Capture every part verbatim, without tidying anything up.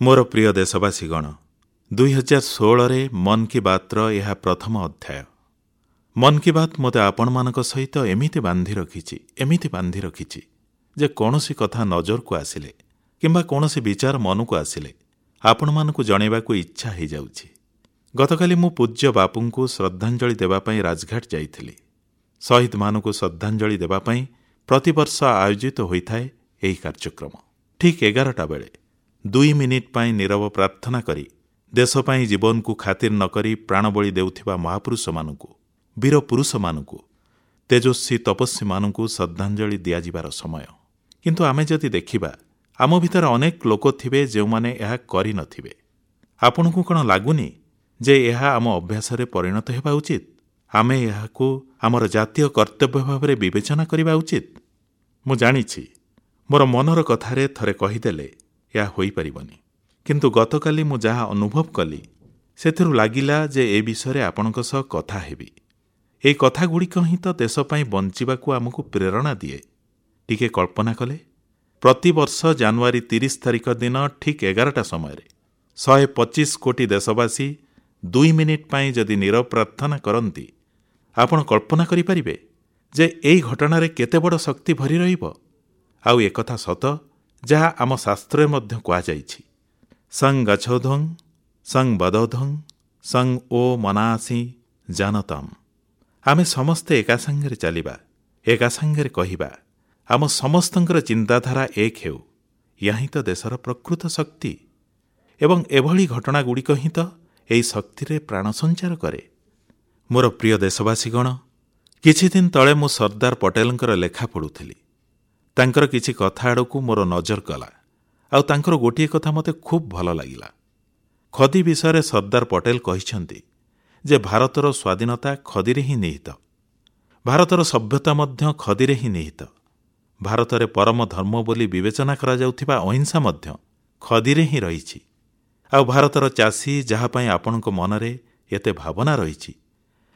ମୋର ପ୍ରିୟ ଦେଶବାସୀଗଣ, ଦୁଇହଜାର ଷୋହଳରେ ମନ୍ କି ବାତ୍ର ଏହା ପ୍ରଥମ ଅଧ୍ୟାୟ। ମନ୍ କି ବାତ୍ ମୋତେ ଆପଣମାନଙ୍କ ସହିତ ଏମିତି ବାନ୍ଧି ରଖିଛି, ଏମିତି ବାନ୍ଧି ରଖିଛି ଯେ କୌଣସି କଥା ନଜରକୁ ଆସିଲେ କିମ୍ବା କୌଣସି ବିଚାର ମନକୁ ଆସିଲେ ଆପଣମାନଙ୍କୁ ଜଣାଇବାକୁ ଇଚ୍ଛା ହୋଇଯାଉଛି। ଗତକାଲି ମୁଁ ପୂଜ୍ୟ ବାପୁଙ୍କୁ ଶ୍ରଦ୍ଧାଞ୍ଜଳି ଦେବା ପାଇଁ ରାଜଘାଟ ଯାଇଥିଲି। ଶହୀଦମାନଙ୍କୁ ଶ୍ରଦ୍ଧାଞ୍ଜଳି ଦେବା ପାଇଁ ପ୍ରତିବର୍ଷ ଆୟୋଜିତ ହୋଇଥାଏ ଏହି କାର୍ଯ୍ୟକ୍ରମ। ଠିକ୍ ଏଗାରଟା ବେଳେ ଦୁଇ ମିନିଟ୍ ପାଇଁ ନୀରବ ପ୍ରାର୍ଥନା କରି ଦେଶ ପାଇଁ ଜୀବନକୁ ଖାତିର ନ କରି ପ୍ରାଣବଳି ଦେଉଥିବା ମହାପୁରୁଷମାନଙ୍କୁ, ବୀର ପୁରୁଷମାନଙ୍କୁ, ତେଜସ୍ୱୀ ତପସ୍ୱୀମାନଙ୍କୁ ଶ୍ରଦ୍ଧାଞ୍ଜଳି ଦିଆଯିବାର ସମୟ। କିନ୍ତୁ ଆମେ ଯଦି ଦେଖିବା, ଆମ ଭିତରେ ଅନେକ ଲୋକ ଥିବେ ଯେଉଁମାନେ ଏହା କରିନଥିବେ। ଆପଣଙ୍କୁ କ'ଣ ଲାଗୁନି ଯେ ଏହା ଆମ ଅଭ୍ୟାସରେ ପରିଣତ ହେବା ଉଚିତ? ଆମେ ଏହାକୁ ଆମର ଜାତୀୟ କର୍ତ୍ତବ୍ୟ ଭାବରେ ବିବେଚନା କରିବା ଉଚିତ। ମୁଁ ଜାଣିଛି, ମୋର ମନର କଥାରେ ଥରେ କହିଦେଲେ ଏହା ହୋଇପାରିବନି। କିନ୍ତୁ ଗତକାଲି ମୁଁ ଯାହା ଅନୁଭବ କଲି, ସେଥିରୁ ଲାଗିଲା ଯେ ଏ ବିଷୟରେ ଆପଣଙ୍କ ସହ କଥା ହେବି। ଏହି କଥାଗୁଡ଼ିକ ହିଁ ତ ଦେଶ ପାଇଁ ବଞ୍ଚିବାକୁ ଆମକୁ ପ୍ରେରଣା ଦିଏ। ଟିକେ କଳ୍ପନା କଲେ, ପ୍ରତିବର୍ଷ ଜାନୁଆରୀ ତିରିଶ ତାରିଖ ଦିନ ଠିକ୍ ଏଗାରଟା ସମୟରେ ଶହେ ପଚିଶ କୋଟି ଦେଶବାସୀ ଦୁଇ ମିନିଟ୍ ପାଇଁ ଯଦି ନୀରବ ପ୍ରାର୍ଥନା କରନ୍ତି, ଆପଣ କଳ୍ପନା କରିପାରିବେ ଯେ ଏହି ଘଟଣାରେ କେତେ ବଡ଼ ଶକ୍ତି ଭରି ରହିବ? ଆଉ ଏକଥା ସତ, ଯାହା ଆମ ଶାସ୍ତ୍ରରେ ମଧ୍ୟ କୁହାଯାଇଛି, ସଂ ଗଚ୍ଛଧ୍ୱଂ ସଂ ବଦଧ୍ୱଂ ସଂ ଓ ମନାସୀ ଜାନତମ୍। ଆମେ ସମସ୍ତେ ଏକା ସାଙ୍ଗରେ ଚାଲିବା, ଏକା ସାଙ୍ଗରେ କହିବା, ଆମ ସମସ୍ତଙ୍କର ଚିନ୍ତାଧାରା ଏକ ହେଉ। ଏହା ହିଁ ତ ଦେଶର ପ୍ରକୃତ ଶକ୍ତି ଏବଂ ଏଭଳି ଘଟଣାଗୁଡ଼ିକ ହିଁ ତ ଏହି ଶକ୍ତିରେ ପ୍ରାଣ ସଞ୍ଚାର କରେ। ମୋର ପ୍ରିୟ ଦେଶବାସୀଗଣ, କିଛିଦିନ ତଳେ ମୁଁ ସର୍ଦ୍ଦାର ପଟେଲଙ୍କର ଲେଖା ପଢ଼ୁଥିଲି। ତାଙ୍କର କିଛି କଥା ଆଡ଼କୁ ମୋର ନଜର ଗଲା ଆଉ ତାଙ୍କର ଗୋଟିଏ କଥା ମୋତେ ଖୁବ୍ ଭଲ ଲାଗିଲା। ଖଦି ବିଷୟରେ ସର୍ଦ୍ଦାର ପଟେଲ କହିଛନ୍ତି ଯେ ଭାରତର ସ୍ୱାଧୀନତା ଖଦିରେ ହିଁ ନିହିତ, ଭାରତର ସଭ୍ୟତା ମଧ୍ୟ ଖଦିରେ ହିଁ ନିହିତ, ଭାରତରେ ପରମ ଧର୍ମ ବୋଲି ବିବେଚନା କରାଯାଉଥିବା ଅହିଂସା ମଧ୍ୟ ଖଦିରେ ହିଁ ରହିଛି। ଆଉ ଭାରତର ଚାଷୀ, ଯାହା ପାଇଁ ଆପଣଙ୍କ ମନରେ ଏତେ ଭାବନା ରହିଛି,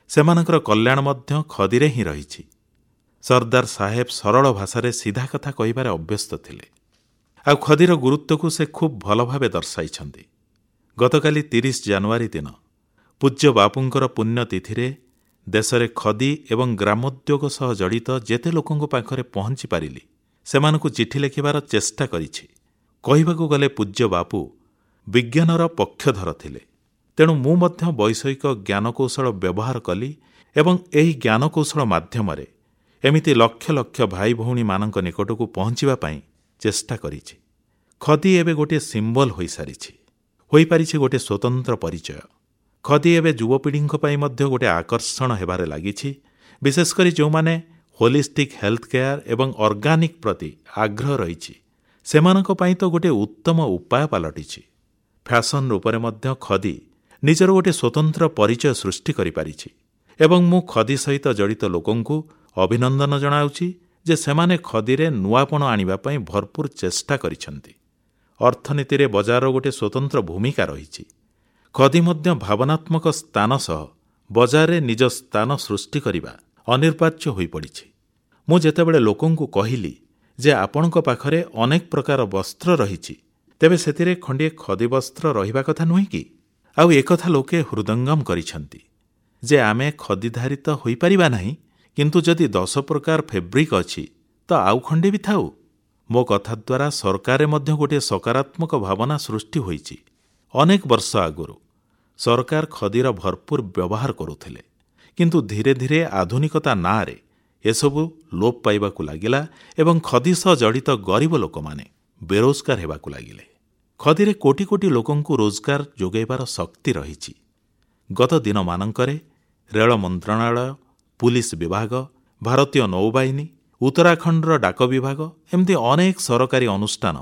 ସେମାନଙ୍କର କଲ୍ୟାଣ ମଧ୍ୟ ଖଦିରେ ହିଁ ରହିଛି। ସର୍ଦ୍ଦାର ସାହେବ ସରଳ ଭାଷାରେ ସିଧା କଥା କହିବାରେ ଅଭ୍ୟସ୍ତ ଥିଲେ ଆଉ ଖଦିର ଗୁରୁତ୍ୱକୁ ସେ ଖୁବ୍ ଭଲ ଭାବେ ଦର୍ଶାଇଛନ୍ତି। ଗତକାଲି ତିରିଶ ଜାନୁଆରୀ ଦିନ ପୂଜ୍ୟ ବାପୁଙ୍କର ପୁଣ୍ୟତିଥିରେ ଦେଶରେ ଖଦି ଏବଂ ଗ୍ରାମୋଦ୍ୟୋଗ ସହ ଜଡ଼ିତ ଯେତେ ଲୋକଙ୍କ ପାଖରେ ପହଞ୍ଚି ପାରିଲି, ସେମାନଙ୍କୁ ଚିଠି ଲେଖିବାର ଚେଷ୍ଟା କରିଛି। କହିବାକୁ ଗଲେ ପୂଜ୍ୟ ବାପୁ ବିଜ୍ଞାନର ପକ୍ଷଧର ଥିଲେ। ତେଣୁ ମୁଁ ମଧ୍ୟ ବୈଷୟିକ ଜ୍ଞାନକୌଶଳ ବ୍ୟବହାର କଲି ଏବଂ ଏହି ଜ୍ଞାନକୌଶଳ ମାଧ୍ୟମରେ ଏମିତି ଲକ୍ଷ ଲକ୍ଷ ଭାଇ ଭଉଣୀମାନଙ୍କ ନିକଟକୁ ପହଞ୍ଚିବା ପାଇଁ ଚେଷ୍ଟା କରିଛି। ଖଦି ଏବେ ଗୋଟିଏ ସିମ୍ବଲ ହୋଇସାରିଛି, ହୋଇପାରିଛି ଗୋଟିଏ ସ୍ୱତନ୍ତ୍ର ପରିଚୟ। ଖଦି ଏବେ ଯୁବପିଢ଼ିଙ୍କ ପାଇଁ ମଧ୍ୟ ଗୋଟିଏ ଆକର୍ଷଣ ହେବାରେ ଲାଗିଛି, ବିଶେଷ କରି ଯେଉଁମାନେ ହୋଲିଷ୍ଟିକ୍ ହେଲ୍ଥ କେୟାର ଏବଂ ଅର୍ଗାନିକ୍ ପ୍ରତି ଆଗ୍ରହ ରହିଛି, ସେମାନଙ୍କ ପାଇଁ ତ ଗୋଟିଏ ଉତ୍ତମ ଉପାୟ ପାଲଟିଛି। ଫ୍ୟାସନ୍ ରୂପରେ ମଧ୍ୟ ଖଦି ନିଜର ଗୋଟିଏ ସ୍ୱତନ୍ତ୍ର ପରିଚୟ ସୃଷ୍ଟି କରିପାରିଛି ଏବଂ ମୁଁ ଖଦି ସହିତ ଜଡ଼ିତ ଲୋକଙ୍କୁ ଅଭିନନ୍ଦନ ଜଣାଉଛି ଯେ ସେମାନେ ଖଦିରେ ନୂଆପଣ ଆଣିବା ପାଇଁ ଭରପୁର ଚେଷ୍ଟା କରିଛନ୍ତି। ଅର୍ଥନୀତିରେ ବଜାରର ଗୋଟିଏ ସ୍ୱତନ୍ତ୍ର ଭୂମିକା ରହିଛି। ଖଦି ମଧ୍ୟ ଭାବନାତ୍ମକ ସ୍ଥାନ ସହ ବଜାରରେ ନିଜ ସ୍ଥାନ ସୃଷ୍ଟି କରିବା ଅନିବାର୍ଯ୍ୟ ହୋଇପଡ଼ିଛି। ମୁଁ ଯେତେବେଳେ ଲୋକଙ୍କୁ କହିଲି ଯେ ଆପଣଙ୍କ ପାଖରେ ଅନେକ ପ୍ରକାର ବସ୍ତ୍ର ରହିଛି, ତେବେ ସେଥିରେ ଖଣ୍ଡିଏ ଖଦି ବସ୍ତ୍ର ରହିବା କଥା ନୁହେଁ କି? ଆଉ ଏକଥା ଲୋକେ ହୃଦୟଙ୍ଗମ କରିଛନ୍ତି ଯେ ଆମେ ଖଦିଧାରିତ ହୋଇପାରିବା ନାହିଁ, କିନ୍ତୁ ଯଦି ଦଶ ପ୍ରକାର ଫେବ୍ରିକ୍ ଅଛି ତ ଆଉ ଖଣ୍ଡେ ବି ଥାଉ। ମୋ କଥା ଦ୍ୱାରା ସରକାରରେ ମଧ୍ୟ ଗୋଟିଏ ସକାରାତ୍ମକ ଭାବନା ସୃଷ୍ଟି ହୋଇଛି। ଅନେକ ବର୍ଷ ଆଗରୁ ସରକାର ଖଦିର ଭରପୁର ବ୍ୟବହାର କରୁଥିଲେ, କିନ୍ତୁ ଧୀରେ ଧୀରେ ଆଧୁନିକତା ନାଁରେ ଏସବୁ ଲୋପ ପାଇବାକୁ ଲାଗିଲା ଏବଂ ଖଦି ସହ ଜଡ଼ିତ ଗରିବ ଲୋକମାନେ ବେରୋଜଗାର ହେବାକୁ ଲାଗିଲେ। ଖଦିରେ କୋଟି କୋଟି ଲୋକଙ୍କୁ ରୋଜଗାର ଯୋଗାଇବାର ଶକ୍ତି ରହିଛି। ଗତ ଦିନମାନଙ୍କରେ ରେଳ ମନ୍ତ୍ରଣାଳୟ, ପୁଲିସ ବିଭାଗ, ଭାରତୀୟ ନୌବାହିନୀ, ଉତ୍ତରାଖଣ୍ଡର ଡାକ ବିଭାଗ, ଏମିତି ଅନେକ ସରକାରୀ ଅନୁଷ୍ଠାନ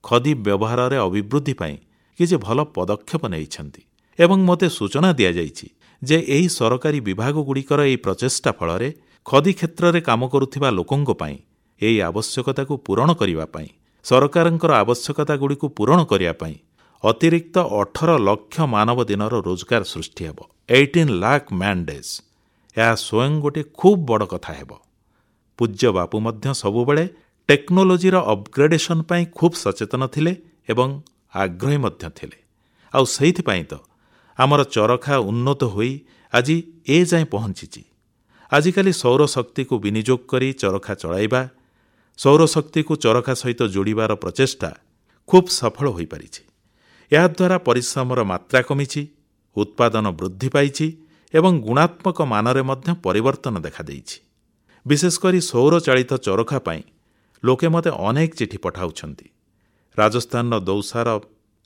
ଖଦି ବ୍ୟବହାରରେ ଅଭିବୃଦ୍ଧି ପାଇଁ କିଛି ଭଲ ପଦକ୍ଷେପ ନେଇଛନ୍ତି ଏବଂ ମୋତେ ସୂଚନା ଦିଆଯାଇଛି ଯେ ଏହି ସରକାରୀ ବିଭାଗଗୁଡ଼ିକର ଏହି ପ୍ରଚେଷ୍ଟା ଫଳରେ ଖଦି କ୍ଷେତ୍ରରେ କାମ କରୁଥିବା ଲୋକଙ୍କ ପାଇଁ ଏହି ଆବଶ୍ୟକତାକୁ ପୂରଣ କରିବା ପାଇଁ, ସରକାରଙ୍କର ଆବଶ୍ୟକତାଗୁଡ଼ିକୁ ପୂରଣ କରିବା ପାଇଁ ଅତିରିକ୍ତ ଅଠର ଲକ୍ଷ ମାନବ ଦିନର ରୋଜଗାର ସୃଷ୍ଟି ହେବ, ଏଇଟିନ୍ ଲାଖ୍ ମ୍ୟାନ୍ ଡେଜ୍। ଏହା ସ୍ୱୟଂ ଗୋଟିଏ ଖୁବ୍ ବଡ଼ କଥା ହେବ। ପୂଜ୍ୟ ବାପୁ ମଧ୍ୟ ସବୁବେଳେ ଟେକ୍ନୋଲୋଜିର ଅପଗ୍ରେଡେସନ୍ ପାଇଁ ଖୁବ୍ ସଚେତନ ଥିଲେ ଏବଂ ଆଗ୍ରହୀ ମଧ୍ୟ ଥିଲେ। ଆଉ ସେଇଥିପାଇଁ ତ ଆମର ଚରଖା ଉନ୍ନତ ହୋଇ ଆଜି ଏ ଯାଏଁ ପହଞ୍ଚିଛି। ଆଜିକାଲି ସୌରଶକ୍ତିକୁ ବିନିଯୋଗ କରି ଚରଖା ଚଳାଇବା, ସୌରଶକ୍ତିକୁ ଚରଖା ସହିତ ଯୋଡ଼ିବାର ପ୍ରଚେଷ୍ଟା ଖୁବ୍ ସଫଳ ହୋଇପାରିଛି। ଏହାଦ୍ୱାରା ପରିଶ୍ରମର ମାତ୍ରା କମିଛି, ଉତ୍ପାଦନ ବୃଦ୍ଧି ପାଇଛି ଏବଂ ଗୁଣାତ୍ମକ ମାନରେ ମଧ୍ୟ ପରିବର୍ତ୍ତନ ଦେଖାଦେଇଛି। ବିଶେଷକରି ସୌରଚାଳିତ ଚରଖା ପାଇଁ ଲୋକେ ମୋତେ ଅନେକ ଚିଠି ପଠାଉଛନ୍ତି। ରାଜସ୍ଥାନର ଦୌସାର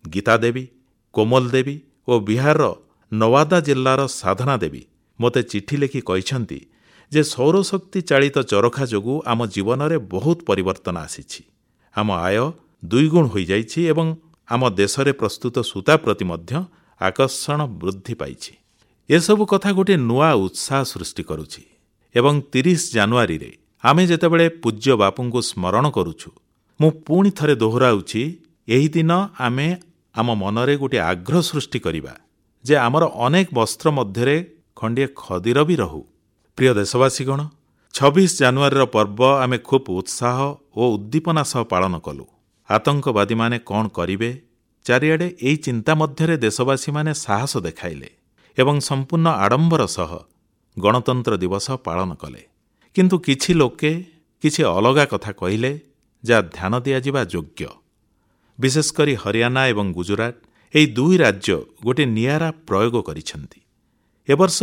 ଗୀତା ଦେବୀ, କୋମଲ ଦେବୀ ଓ ବିହାରର ନୱାଦା ଜିଲ୍ଲାର ସାଧନା ଦେବୀ ମୋତେ ଚିଠି ଲେଖି କହିଛନ୍ତି ଯେ ସୌରଶକ୍ତି ଚାଳିତ ଚରଖା ଯୋଗୁଁ ଆମ ଜୀବନରେ ବହୁତ ପରିବର୍ତ୍ତନ ଆସିଛି। ଆମ ଆୟ ଦୁଇଗୁଣ ହୋଇଯାଇଛି ଏବଂ ଆମ ଦେଶରେ ପ୍ରସ୍ତୁତ ସୂତା ପ୍ରତି ମଧ୍ୟ ଆକର୍ଷଣ ବୃଦ୍ଧି ପାଇଛି। ଏସବୁ କଥା ଗୋଟିଏ ନୂଆ ଉତ୍ସାହ ସୃଷ୍ଟି କରୁଛି ଏବଂ ତିରିଶ ଜାନୁଆରୀରେ ଆମେ ଯେତେବେଳେ ପୂଜ୍ୟ ବାପୁଙ୍କୁ ସ୍ମରଣ କରୁଛୁ, ମୁଁ ପୁଣି ଥରେ ଦୋହରାଉଛି, ଏହି ଦିନ ଆମେ ଆମ ମନରେ ଗୋଟିଏ ଆଗ୍ରହ ସୃଷ୍ଟି କରିବା ଯେ ଆମର ଅନେକ ବସ୍ତ୍ର ମଧ୍ୟରେ ଖଣ୍ଡିଏ ଖଦିର ବି ରହୁ। ପ୍ରିୟ ଦେଶବାସୀଗଣ, ଛବିଶ ଜାନୁଆରୀର ପର୍ବ ଆମେ ଖୁବ୍ ଉତ୍ସାହ ଓ ଉଦ୍ଦୀପନା ସହ ପାଳନ କଲୁ। ଆତଙ୍କବାଦୀମାନେ କ'ଣ କରିବେ, ଚାରିଆଡ଼େ ଏହି ଚିନ୍ତା ମଧ୍ୟରେ ଦେଶବାସୀମାନେ ସାହସ ଦେଖାଇଲେ ଏବଂ ସମ୍ପୂର୍ଣ୍ଣ ଆଡମ୍ବର ସହ ଗଣତନ୍ତ୍ର ଦିବସ ପାଳନ କଲେ। କିନ୍ତୁ କିଛି ଲୋକେ କିଛି ଅଲଗା କଥା କହିଲେ, ଯାହା ଧ୍ୟାନ ଦିଆଯିବା ଯୋଗ୍ୟ। ବିଶେଷକରି ହରିୟାଣା ଏବଂ ଗୁଜୁରାଟ, ଏହି ଦୁଇ ରାଜ୍ୟ ଗୋଟିଏ ନିଆରା ପ୍ରୟୋଗ କରିଛନ୍ତି। ଏ ବର୍ଷ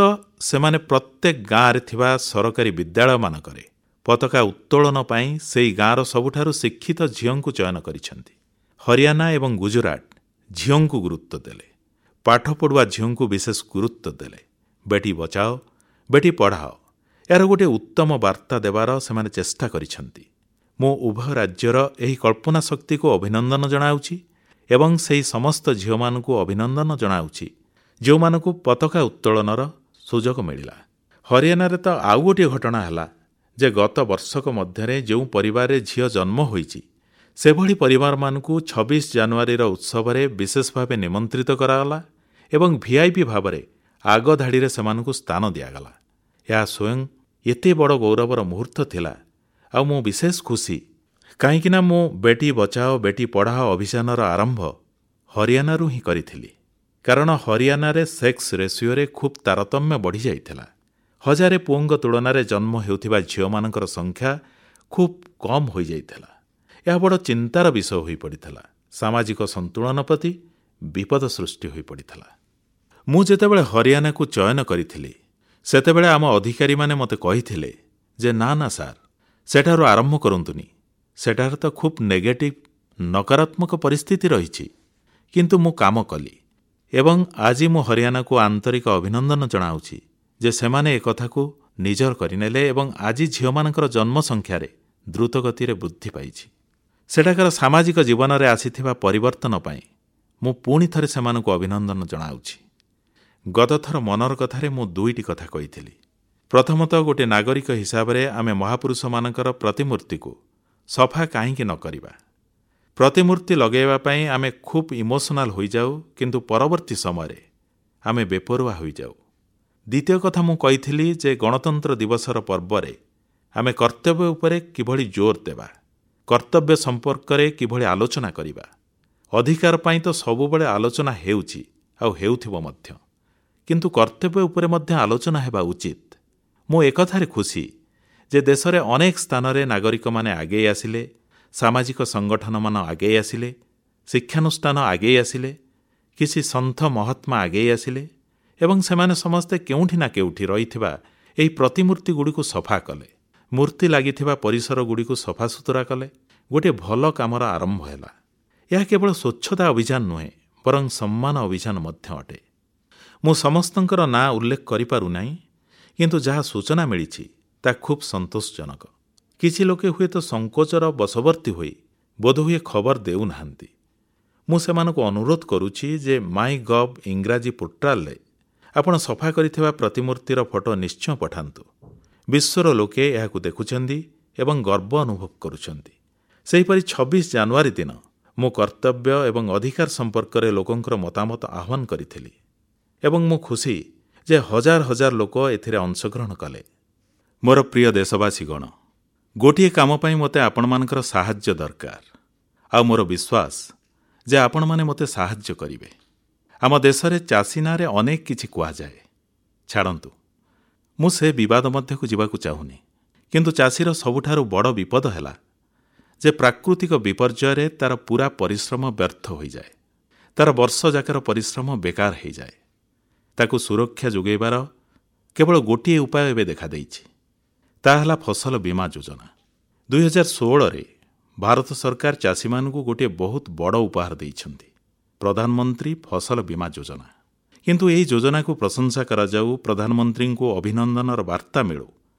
ସେମାନେ ପ୍ରତ୍ୟେକ ଗାଁରେ ଥିବା ସରକାରୀ ବିଦ୍ୟାଳୟମାନଙ୍କରେ ପତାକା ଉତ୍ତୋଳନ ପାଇଁ ସେହି ଗାଁର ସବୁଠାରୁ ଶିକ୍ଷିତ ଝିଅଙ୍କୁ ଚୟନ କରିଛନ୍ତି। ହରିୟାଣା ଏବଂ ଗୁଜୁରାଟ ଝିଅଙ୍କୁ ଗୁରୁତ୍ୱ ଦେଲେ, ପାଠ ପଢ଼ୁଆ ଝିଅଙ୍କୁ ବିଶେଷ ଗୁରୁତ୍ୱ ଦେଲେ। ବେଟି ବଚାଓ ବେଟି ପଢ଼ାଓ, ଏହାର ଗୋଟିଏ ଉତ୍ତମ ବାର୍ତ୍ତା ଦେବାର ସେମାନେ ଚେଷ୍ଟା କରିଛନ୍ତି। ମୁଁ ଉଭୟ ରାଜ୍ୟର ଏହି କଳ୍ପନା ଶକ୍ତିକୁ ଅଭିନନ୍ଦନ ଜଣାଉଛି ଏବଂ ସେହି ସମସ୍ତ ଝିଅମାନଙ୍କୁ ଅଭିନନ୍ଦନ ଜଣାଉଛି ଯେଉଁମାନଙ୍କୁ ପତାକା ଉତ୍ତୋଳନର ସୁଯୋଗ ମିଳିଲା। ହରିୟାଣାରେ ତ ଆଉ ଗୋଟିଏ ଘଟଣା ହେଲା ଯେ ଗତ ବର୍ଷକ ମଧ୍ୟରେ ଯେଉଁ ପରିବାରରେ ଝିଅ ଜନ୍ମ ହୋଇଛି, ସେଭଳି ପରିବାରମାନଙ୍କୁ ଛବିଶ ଜାନୁଆରୀର ଉତ୍ସବରେ ବିଶେଷ ଭାବେ ନିମନ୍ତ୍ରିତ କରାଗଲା ଏବଂ ଭିଆଇପି ଭାବରେ ଆଗଧାଡ଼ିରେ ସେମାନଙ୍କୁ ସ୍ଥାନ ଦିଆଗଲା। ଏହା ସ୍ୱୟଂ ଏତେ ବଡ଼ ଗୌରବର ମୁହୂର୍ତ୍ତ ଥିଲା ଆଉ ମୁଁ ବିଶେଷ ଖୁସି, କାହିଁକିନା ମୁଁ ବେଟି ବଚାଓ ବେଟି ପଢ଼ାଓ ଅଭିଯାନର ଆରମ୍ଭ ହରିୟାଣାରୁ ହିଁ କରିଥିଲି। କାରଣ ହରିୟାଣାରେ ସେକ୍ସ ରେସିଓରେ ଖୁବ୍ ତାରତମ୍ୟ ବଢ଼ିଯାଇଥିଲା। ହଜାରେ ପୁଅଙ୍କ ତୁଳନାରେ ଜନ୍ମ ହେଉଥିବା ଝିଅମାନଙ୍କର ସଂଖ୍ୟା ଖୁବ୍ କମ୍ ହୋଇଯାଇଥିଲା। ଏହା ବଡ଼ ଚିନ୍ତାର ବିଷୟ ହୋଇପଡ଼ିଥିଲା। ସାମାଜିକ ସନ୍ତୁଳନ ପ୍ରତି ବିପଦ ସୃଷ୍ଟି ହୋଇପଡ଼ିଥିଲା। ମୁଁ ଯେତେବେଳେ ହରିୟାଣାକୁ ଚୟନ କରିଥିଲି, ସେତେବେଳେ ଆମ ଅଧିକାରୀମାନେ ମୋତେ କହିଥିଲେ ଯେ ନା ନା ସାର୍, ସେଠାରୁ ଆରମ୍ଭ କରନ୍ତୁନି, ସେଠାରେ ତ ଖୁବ୍ ନେଗେଟିଭ୍ ନକାରାତ୍ମକ ପରିସ୍ଥିତି ରହିଛି। କିନ୍ତୁ ମୁଁ କାମ କଲି ଏବଂ ଆଜି ମୁଁ ହରିୟାଣାକୁ ଆନ୍ତରିକ ଅଭିନନ୍ଦନ ଜଣାଉଛି ଯେ ସେମାନେ ଏକଥାକୁ ନିଜର କରିନେଲେ ଏବଂ ଆଜି ଝିଅମାନଙ୍କର ଜନ୍ମ ସଂଖ୍ୟାରେ ଦ୍ରୁତଗତିରେ ବୃଦ୍ଧି ପାଇଛି। ସେଠାକାର ସାମାଜିକ ଜୀବନରେ ଆସିଥିବା ପରିବର୍ତ୍ତନ ପାଇଁ ମୁଁ ପୁଣି ଥରେ ସେମାନଙ୍କୁ ଅଭିନନ୍ଦନ ଜଣାଉଛି। ଗତଥର ମନର କଥାରେ ମୁଁ ଦୁଇଟି କଥା କହିଥିଲି। ପ୍ରଥମତଃ, ଗୋଟିଏ ନାଗରିକ ହିସାବରେ ଆମେ ମହାପୁରୁଷମାନଙ୍କର ପ୍ରତିମୂର୍ତ୍ତିକୁ ସଫା କାହିଁକି ନ କରିବା। ପ୍ରତିମୂର୍ତ୍ତି ଲଗାଇବା ପାଇଁ ଆମେ ଖୁବ୍ ଇମୋସନାଲ ହୋଇଯାଉ, କିନ୍ତୁ ପରବର୍ତ୍ତୀ ସମୟରେ ଆମେ ବେପରୁଆ ହୋଇଯାଉ। ଦ୍ୱିତୀୟ କଥା ମୁଁ କହିଥିଲି ଯେ ଗଣତନ୍ତ୍ର ଦିବସର ପର୍ବରେ ଆମେ କର୍ତ୍ତବ୍ୟ ଉପରେ କିଭଳି ଜୋର ଦେବା, କର୍ତ୍ତବ୍ୟ ସମ୍ପର୍କରେ କିଭଳି ଆଲୋଚନା କରିବା। ଅଧିକାର ପାଇଁ ତ ସବୁବେଳେ ଆଲୋଚନା ହେଉଛି ଆଉ ହେଉଥିବ ମଧ୍ୟ, କିନ୍ତୁ କର୍ତ୍ତବ୍ୟ ଉପରେ ମଧ୍ୟ ଆଲୋଚନା ହେବା ଉଚିତ। ମୁଁ ଏକଥାରେ ଖୁସି ଯେ ଦେଶରେ ଅନେକ ସ୍ଥାନରେ ନାଗରିକମାନେ ଆଗେଇ ଆସିଲେ, ସାମାଜିକ ସଂଗଠନମାନ ଆଗେଇ ଆସିଲେ, ଶିକ୍ଷାନୁଷ୍ଠାନ ଆଗେଇ ଆସିଲେ, କିଛି ସନ୍ଥ ମହାତ୍ମା ଆଗେଇ ଆସିଲେ ଏବଂ ସେମାନେ ସମସ୍ତେ କେଉଁଠି ନା କେଉଁଠି ରହିଥିବା ଏହି ପ୍ରତିମୂର୍ତ୍ତିଗୁଡ଼ିକୁ ସଫା କଲେ, ମୂର୍ତ୍ତି ଲାଗିଥିବା ପରିସରଗୁଡ଼ିକୁ ସଫାସୁତୁରା କଲେ। ଗୋଟିଏ ଭଲ କାମର ଆରମ୍ଭ ହେଲା। ଏହା କେବଳ ସ୍ୱଚ୍ଛତା ଅଭିଯାନ ନୁହେଁ, ବରଂ ସମ୍ମାନ ଅଭିଯାନ ମଧ୍ୟ ଅଟେ। ମୁଁ ସମସ୍ତଙ୍କର ନାଁ ଉଲ୍ଲେଖ କରିପାରୁନାହିଁ, କିନ୍ତୁ ଯାହା ସୂଚନା ମିଳିଛି ତାହା ଖୁବ୍ ସନ୍ତୋଷଜନକ। କିଛି ଲୋକେ ହୁଏତ ସଂକୋଚର ବଶବର୍ତ୍ତୀ ହୋଇ ବୋଧହୁଏ ଖବର ଦେଉନାହାନ୍ତି। ମୁଁ ସେମାନଙ୍କୁ ଅନୁରୋଧ କରୁଛି ଯେ ମାଇ ଗଭ୍ ଇଂରାଜୀ ପୋର୍ଟାଲରେ ଆପଣ ସଫା କରିଥିବା ପ୍ରତିମୂର୍ତ୍ତିର ଫଟୋ ନିଶ୍ଚୟ ପଠାନ୍ତୁ। ବିଶ୍ୱର ଲୋକେ ଏହାକୁ ଦେଖୁଛନ୍ତି ଏବଂ ଗର୍ବ ଅନୁଭବ କରୁଛନ୍ତି। ସେହିପରି ଛବିଶ ଜାନୁଆରୀ ଦିନ ମୁଁ କର୍ତ୍ତବ୍ୟ ଏବଂ ଅଧିକାର ସମ୍ପର୍କରେ ଲୋକଙ୍କର ମତାମତ ଆହ୍ୱାନ କରିଥିଲି ଏବଂ ମୁଁ ଖୁସି ଯେ ହଜାର ହଜାର ଲୋକ ଏଥିରେ ଅଂଶଗ୍ରହଣ କଲେ। ମୋର ପ୍ରିୟ ଦେଶବାସୀଗଣ, ଗୋଟିଏ କାମ ପାଇଁ ମୋତେ ଆପଣମାନଙ୍କର ସାହାଯ୍ୟ ଦରକାର। ଆଉ ମୋର ବିଶ୍ୱାସ ଯେ ଆପଣମାନେ ମୋତେ ସାହାଯ୍ୟ କରିବେ। ଆମ ଦେଶରେ ଚାଷୀ ନାଁରେ ଅନେକ କିଛି କୁହାଯାଏ। ଛାଡ଼ନ୍ତୁ, ମୁଁ ସେ ବିବାଦ ମଧ୍ୟକୁ ଯିବାକୁ ଚାହୁଁନି। କିନ୍ତୁ ଚାଷୀର ସବୁଠାରୁ ବଡ଼ ବିପଦ ହେଲା ଯେ ପ୍ରାକୃତିକ ବିପର୍ଯ୍ୟୟରେ ତାର ପୂରା ପରିଶ୍ରମ ବ୍ୟର୍ଥ ହୋଇଯାଏ। ତାର ବର୍ଷଯାକର ପରିଶ୍ରମ ବେକାର ହୋଇଯାଏ। ତାକୁ ସୁରକ୍ଷା ଯୋଗାଇବାର କେବଳ ଗୋଟିଏ ଉପାୟ ଏବେ ଦେଖାଦେଇଛି, ତାହା ହେଲା ଫସଲ ବୀମା ଯୋଜନା। ଦୁଇହଜାର ଷୋହଳରେ ଭାରତ ସରକାର ଚାଷୀମାନଙ୍କୁ ଗୋଟିଏ ବହୁତ ବଡ଼ ଉପହାର ଦେଇଛନ୍ତି, ପ୍ରଧାନମନ୍ତ୍ରୀ ଫସଲ ବୀମା ଯୋଜନା। କିନ୍ତୁ ଏହି ଯୋଜନାକୁ ପ୍ରଶଂସା କରାଯାଉ, ପ୍ରଧାନମନ୍ତ୍ରୀଙ୍କୁ ଅଭିନନ୍ଦନର ବାର୍ତ୍ତା ମିଳୁ,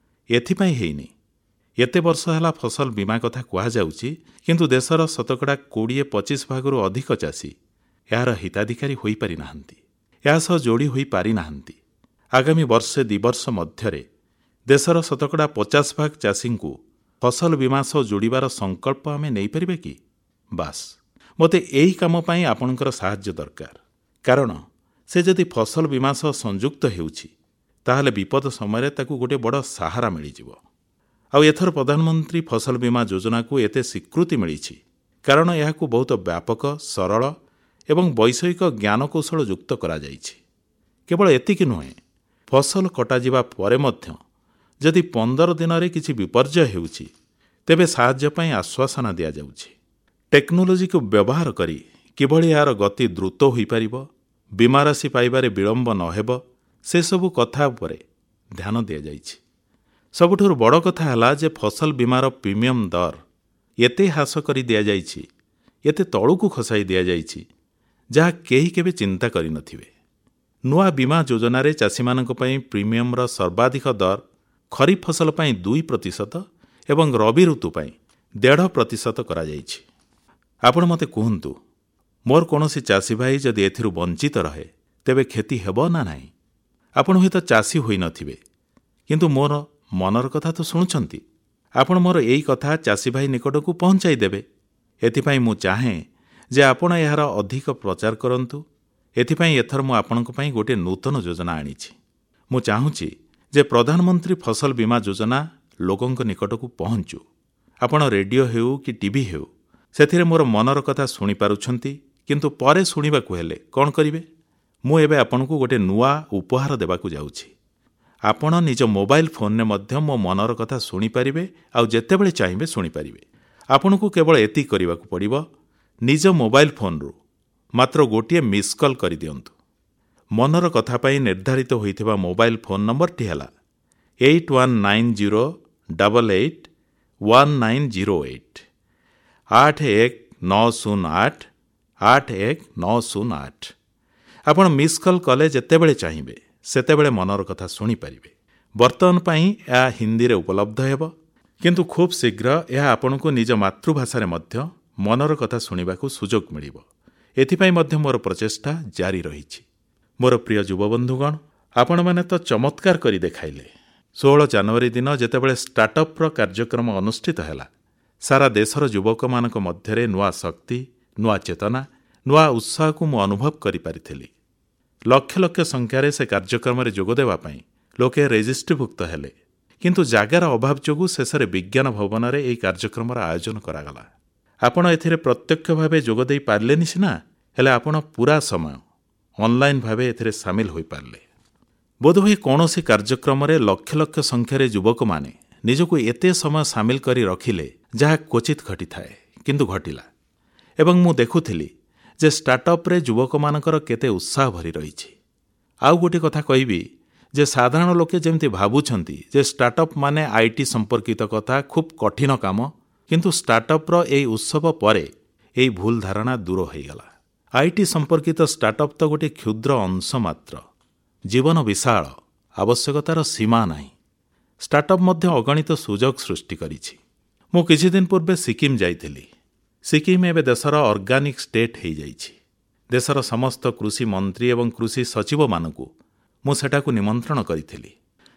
ଏଥିପାଇଁ ହେଇନି। ଏତେ ବର୍ଷ ହେଲା ଫସଲ ବୀମା କଥା କୁହାଯାଉଛି, କିନ୍ତୁ ଦେଶର ଶତକଡ଼ା କୋଡ଼ିଏ ପଚିଶ ଭାଗରୁ ଅଧିକ ଚାଷୀ ଏହାର ହିତାଧିକାରୀ ହୋଇପାରିନାହାନ୍ତି, ଏହା ସହ ଯୋଡ଼ି ହୋଇପାରିନାହାନ୍ତି। ଆଗାମୀ ବର୍ଷେ ଦୁଇ ବର୍ଷ ମଧ୍ୟରେ ଦେଶର ଶତକଡ଼ା ପଚାଶ ଭାଗ ଚାଷୀଙ୍କୁ ଫସଲ ବୀମା ସହ ଯୋଡ଼ିବାର ସଂକଳ୍ପ ଆମେ ନେଇପାରିବା କି? ବାସ୍, ମୋତେ ଏହି କାମ ପାଇଁ ଆପଣଙ୍କର ସାହାଯ୍ୟ ଦରକାର। କାରଣ ସେ ଯଦି ଫସଲ ବୀମା ସହ ସଂଯୁକ୍ତ ହେଉଛି, ତାହେଲେ ବିପଦ ସମୟରେ ତାକୁ ଗୋଟିଏ ବଡ଼ ସାହାରା ମିଳିଯିବ। ଆଉ ଏଥର ପ୍ରଧାନମନ୍ତ୍ରୀ ଫସଲ ବୀମା ଯୋଜନାକୁ ଏତେ ସ୍ୱୀକୃତି ମିଳିଛି କାରଣ ଏହାକୁ ବହୁତ ବ୍ୟାପକ, ସରଳ ଏବଂ ବୈଷୟିକ ଜ୍ଞାନକୌଶଳ ଯୁକ୍ତ କରାଯାଇଛି। କେବଳ ଏତିକି ନୁହେଁ, ଫସଲ କଟାଯିବା ପରେ ମଧ୍ୟ ଯଦି ପନ୍ଦର ଦିନରେ କିଛି ବିପର୍ଯ୍ୟୟ ହେଉଛି, ତେବେ ସାହାଯ୍ୟ ପାଇଁ ଆଶ୍ୱାସନା ଦିଆଯାଉଛି। ଟେକ୍ନୋଲୋଜିକୁ ବ୍ୟବହାର କରି କିଭଳି ଏହାର ଗତି ଦ୍ରୁତ ହୋଇପାରିବ, ବୀମା ରାଶି ପାଇବାରେ ବିଳମ୍ବ ନ ହେବ, ସେସବୁ କଥା ଉପରେ ଧ୍ୟାନ ଦିଆଯାଇଛି। ସବୁଠାରୁ ବଡ଼ କଥା ହେଲା ଯେ ଫସଲ ବୀମାର ପ୍ରିମିୟମ ଦର ଏତେ ହ୍ରାସ କରି ଦିଆଯାଇଛି, ଏତେ ତଳକୁ ଖସାଇ ଦିଆଯାଇଛି, ଯାହା କେହି କେବେ ଚିନ୍ତା କରିନଥିବେ। ନୂଆ ବୀମା ଯୋଜନାରେ ଚାଷୀମାନଙ୍କ ପାଇଁ ପ୍ରିମିୟମର ସର୍ବାଧିକ ଦର ଖରିଫ ଫସଲ ପାଇଁ ଦୁଇ ପ୍ରତିଶତ ଏବଂ ରବି ଋତୁ ପାଇଁ ଦେଢ଼ ପ୍ରତିଶତ କରାଯାଇଛି। ଆପଣ ମୋତେ କୁହନ୍ତୁ, ମୋର କୌଣସି ଚାଷୀ ଭାଇ ଯଦି ଏଥିରୁ ବଞ୍ଚିତ ରହେ, ତେବେ କ୍ଷତି ହେବ ନା ନାହିଁ? ଆପଣ ହୁଏତ ଚାଷୀ ହୋଇନଥିବେ, କିନ୍ତୁ ମୋର ମନର କଥା ତ ଶୁଣୁଛନ୍ତି। ଆପଣ ମୋର ଏଇ କଥା ଚାଷୀ ଭାଇ ନିକଟକୁ ପହଞ୍ଚାଇ ଦେବେ। ଏଥିପାଇଁ ମୁଁ ଚାହେଁ ଯେ ଆପଣ ଏହାର ଅଧିକ ପ୍ରଚାର କରନ୍ତୁ। ଏଥିପାଇଁ ଏଥର ମୁଁ ଆପଣଙ୍କ ପାଇଁ ଗୋଟିଏ ନୂତନ ଯୋଜନା ଆଣିଛି। ମୁଁ ଚାହୁଁଛି ଯେ ପ୍ରଧାନମନ୍ତ୍ରୀ ଫସଲ ବୀମା ଯୋଜନା ଲୋକଙ୍କ ନିକଟକୁ ପହଞ୍ଚୁ। ଆପଣ ରେଡିଓ ହେଉ କି ଟିଭି ହେଉ, ସେଥିରେ ମୋର ମନର କଥା ଶୁଣିପାରୁଛନ୍ତି, କିନ୍ତୁ ପରେ ଶୁଣିବାକୁ ହେଲେ କ'ଣ କରିବେ? ମୁଁ ଏବେ ଆପଣଙ୍କୁ ଗୋଟିଏ ନୂଆ ଉପହାର ଦେବାକୁ ଯାଉଛି। ଆପଣ ନିଜ ମୋବାଇଲ ଫୋନରେ ମଧ୍ୟ ମୋ ମନର କଥା ଶୁଣିପାରିବେ, ଆଉ ଯେତେବେଳେ ଚାହିଁବେ ଶୁଣିପାରିବେ। ଆପଣଙ୍କୁ କେବଳ ଏତିକି କରିବାକୁ ପଡ଼ିବ, ନିଜ ମୋବାଇଲ ଫୋନରୁ ମାତ୍ର ଗୋଟିଏ ମିସ୍ କଲ୍ କରିଦିଅନ୍ତୁ। ମନର କଥା ପାଇଁ ନିର୍ଦ୍ଧାରିତ ହୋଇଥିବା ମୋବାଇଲ ଫୋନ୍ ନମ୍ବରଟି ହେଲା eight one nine zero double eight one nine zero eight, ଆଠ ଏକ ନଅ ଶୂନ ଆଠ ଆଠ ଏକ ନଅ ଶୂନ ଆଠ। ଆପଣ ମିସ୍ କଲ୍ କଲେ ଯେତେବେଳେ ଚାହିଁବେ ସେତେବେଳେ ମନର କଥା ଶୁଣିପାରିବେ। ବର୍ତ୍ତମାନ ପାଇଁ ଏହା ହିନ୍ଦୀରେ ଉପଲବ୍ଧ ହେବ, କିନ୍ତୁ ଖୁବ୍ ଶୀଘ୍ର ଏହା ଆପଣଙ୍କୁ ନିଜ ମାତୃଭାଷାରେ ମଧ୍ୟ ମନର କଥା ଶୁଣିବାକୁ ସୁଯୋଗ ମିଳିବ। ଏଥିପାଇଁ ମଧ୍ୟ ମୋର ପ୍ରଚେଷ୍ଟା ଜାରି ରହିଛି। ମୋର ପ୍ରିୟ ଯୁବବନ୍ଧୁଗଣ, ଆପଣମାନେ ତ ଚମତ୍କାର କରି ଦେଖାଇଲେ। ଷୋହଳ ଜାନୁଆରୀ ଦିନ ଯେତେବେଳେ ଷ୍ଟାର୍ଟଅପ୍ର କାର୍ଯ୍ୟକ୍ରମ ଅନୁଷ୍ଠିତ ହେଲା, ସାରା ଦେଶର ଯୁବକମାନଙ୍କ ମଧ୍ୟରେ ନୂଆ ଶକ୍ତି, ନୂଆ ଚେତନା, ନୂଆ ଉତ୍ସାହକୁ ମୁଁ ଅନୁଭବ କରିପାରିଥିଲି। ଲକ୍ଷ ଲକ୍ଷ ସଂଖ୍ୟାରେ ସେ କାର୍ଯ୍ୟକ୍ରମରେ ଯୋଗଦେବା ପାଇଁ ଲୋକେ ରେଜିଷ୍ଟ୍ରିଭୁକ୍ତ ହେଲେ, କିନ୍ତୁ ଜାଗାର ଅଭାବ ଯୋଗୁଁ ଶେଷରେ ବିଜ୍ଞାନ ଭବନରେ ଏହି କାର୍ଯ୍ୟକ୍ରମର ଆୟୋଜନ କରାଗଲା। ଆପଣ ଏଥିରେ ପ୍ରତ୍ୟକ୍ଷ ଭାବେ ଯୋଗ ଦେଇ ପାରିଲେନି ସିନା, ହେଲେ ଆପଣ ପୂରା ସମୟ ଅନଲାଇନ୍ ଭାବେ ଏଥିରେ ସାମିଲ ହୋଇପାରିଲେ। ବୋଧହୁଏ କୌଣସି କାର୍ଯ୍ୟକ୍ରମରେ ଲକ୍ଷ ଲକ୍ଷ ସଂଖ୍ୟାରେ ଯୁବକମାନେ ନିଜକୁ ଏତେ ସମୟ ସାମିଲ କରି ରଖିଲେ ଯାହା କ୍ୱଚିତ୍ ଘଟିଥାଏ, କିନ୍ତୁ ଘଟିଲା। ଏବଂ ମୁଁ ଦେଖୁଥିଲି ଯେ ଷ୍ଟାର୍ଟଅପ୍ରେ ଯୁବକମାନଙ୍କର କେତେ ଉତ୍ସାହ ଭରି ରହିଛି। ଆଉ ଗୋଟିଏ କଥା କହିବି ଯେ ସାଧାରଣ ଲୋକେ ଯେମିତି ଭାବୁଛନ୍ତି ଯେ ଷ୍ଟାର୍ଟଅପ୍ ମାନେ IT ସମ୍ପର୍କିତ କଥା, ଖୁବ୍ କଠିନ କାମ, କିନ୍ତୁ ଷ୍ଟାର୍ଟଅପ୍ର ଏହି ଉତ୍ସବ ପରେ ଏହି ଭୁଲ ଧାରଣା ଦୂର ହୋଇଗଲା। IT ସମ୍ପର୍କିତ ଷ୍ଟାର୍ଟଅପ୍ ତ ଗୋଟିଏ କ୍ଷୁଦ୍ର ଅଂଶ ମାତ୍ର। ଜୀବନ ବିଶାଳ, ଆବଶ୍ୟକତାର ସୀମା ନାହିଁ। ଷ୍ଟାର୍ଟଅପ୍ ମଧ୍ୟ ଅଗଣିତ ସୁଯୋଗ ସୃଷ୍ଟି କରିଛି। ମୁଁ କିଛିଦିନ ପୂର୍ବେ ସିକିମ୍ ଯାଇଥିଲି। ସିକିମ୍ ଏବେ ଦେଶର ଅର୍ଗାନିକ୍ ଷ୍ଟେଟ୍ ହୋଇଯାଇଛି। ଦେଶର ସମସ୍ତ କୃଷି ମନ୍ତ୍ରୀ ଏବଂ କୃଷି ସଚିବମାନଙ୍କୁ ମୁଁ ସେଠାକୁ ନିମନ୍ତ୍ରଣ କରିଥିଲି।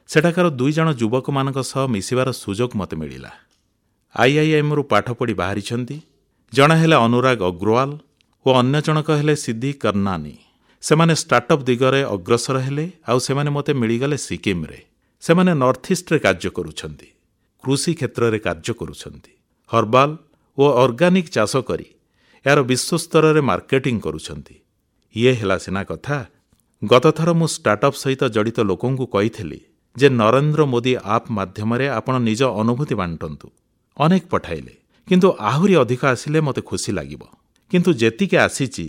ସେଠାକାର ଦୁଇ ଜଣ ଯୁବକମାନଙ୍କ ସହ ମିଶିବାର ସୁଯୋଗ ମୋତେ ମିଳିଲା। ଆଇଆଇଏମ୍ରୁ ପାଠ ପଢ଼ି ବାହାରିଛନ୍ତି। ଜଣେ ହେଲେ ଅନୁରାଗ ଅଗ୍ରୱାଲ ଓ ଅନ୍ୟ ଜଣକ ହେଲେ ସିଦ୍ଧି କର୍ଣ୍ଣାନୀ। ସେମାନେ ଷ୍ଟାର୍ଟଅପ୍ ଦିଗରେ ଅଗ୍ରସର ହେଲେ, ଆଉ ସେମାନେ ମୋତେ ମିଳିଗଲେ ସିକିମ୍ରେ। ସେମାନେ ନର୍ଥଇଷ୍ଟରେ କାର୍ଯ୍ୟ କରୁଛନ୍ତି, କୃଷି କ୍ଷେତ୍ରରେ କାର୍ଯ୍ୟ କରୁଛନ୍ତି। ହର୍ବାଲ ଓ ଅର୍ଗାନିକ୍ ଚାଷ କରି ଏହାର ବିଶ୍ୱସ୍ତରରେ ମାର୍କେଟିଂ କରୁଛନ୍ତି। ଇଏ ହେଲା ସିନା କଥା। ଗତଥର ମୁଁ ଷ୍ଟାର୍ଟଅପ୍ ସହିତ ଜଡ଼ିତ ଲୋକଙ୍କୁ କହିଥିଲି ଯେ ନରେନ୍ଦ୍ର ମୋଦି ଆପ୍ ମାଧ୍ୟମରେ ଆପଣ ନିଜ ଅନୁଭୂତି ବାଣ୍ଟନ୍ତୁ। ଅନେକ ପଠାଇଲେ, କିନ୍ତୁ ଆହୁରି ଅଧିକ ଆସିଲେ ମୋତେ ଖୁସି ଲାଗିବ। କିନ୍ତୁ ଯେତିକି ଆସିଛି